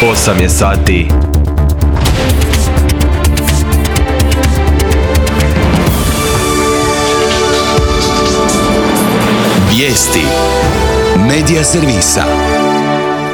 8 je sati. Vijesti Medija servisa.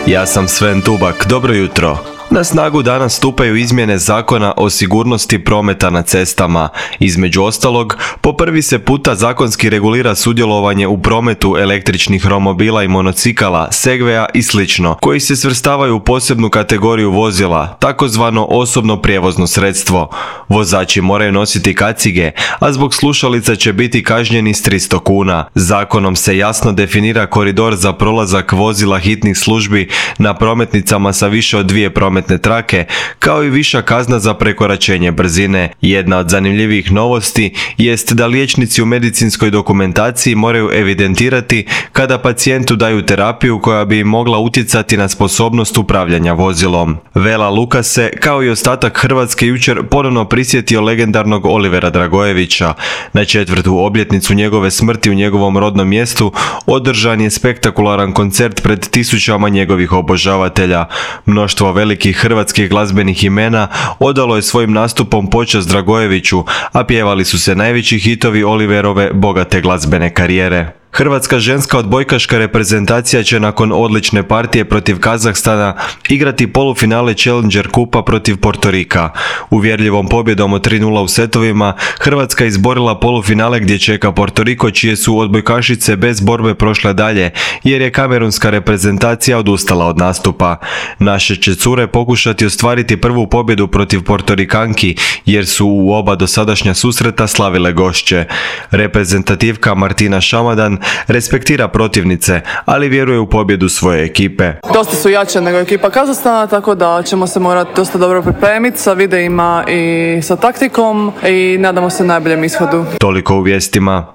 Ja sam Sven Tubak, dobro jutro. Na snagu danas stupaju izmjene Zakona o sigurnosti prometa na cestama. Između ostalog, po prvi se puta zakonski regulira sudjelovanje u prometu električnih romobila i monocikala, segveja i sl. koji se svrstavaju u posebnu kategoriju vozila, takozvano osobno prijevozno sredstvo. Vozači moraju nositi kacige, a zbog slušalica će biti kažnjeni s 300 kuna. Zakonom se jasno definira koridor za prolazak vozila hitnih službi na prometnicama sa više od 2 prometne trake, kao i viša kazna za prekoračenje brzine. Jedna od zanimljivih novosti jest da liječnici u medicinskoj dokumentaciji moraju evidentirati kada pacijentu daju terapiju koja bi im mogla utjecati na sposobnost upravljanja vozilom. Vela Luka se, kao i ostatak Hrvatske, jučer ponovno prisjetio legendarnog Olivera Dragojevića. Na 4. obljetnicu njegove smrti u njegovom rodnom mjestu održan je spektakularan koncert pred tisućama njegovih obožavatelja. Mnoštvo velikih hrvatskih glazbenih imena odalo je svojim nastupom počast Dragojeviću, a pjevali su se najveći hitovi Oliverove bogate glazbene karijere. Hrvatska ženska odbojkaška reprezentacija će nakon odlične partije protiv Kazahstana igrati polufinale Challenger kupa protiv Portorika. Uvjerljivom pobjedom od 3:0 u setovima Hrvatska izborila polufinale gdje čeka Portoriko, čije su odbojkašice bez borbe prošle dalje jer je kamerunska reprezentacija odustala od nastupa. Naše će cure pokušati ostvariti prvu pobjedu protiv Portorikanki jer su u oba dosadašnja susreta slavile gošće. Reprezentativka Martina Šamadan respektira protivnice, ali vjeruje u pobjedu svoje ekipe. Dosta su jače nego ekipa Kazahstana, tako da ćemo se morati dosta dobro pripremiti sa videima i sa taktikom i nadamo se najboljem ishodu. Toliko u vijestima.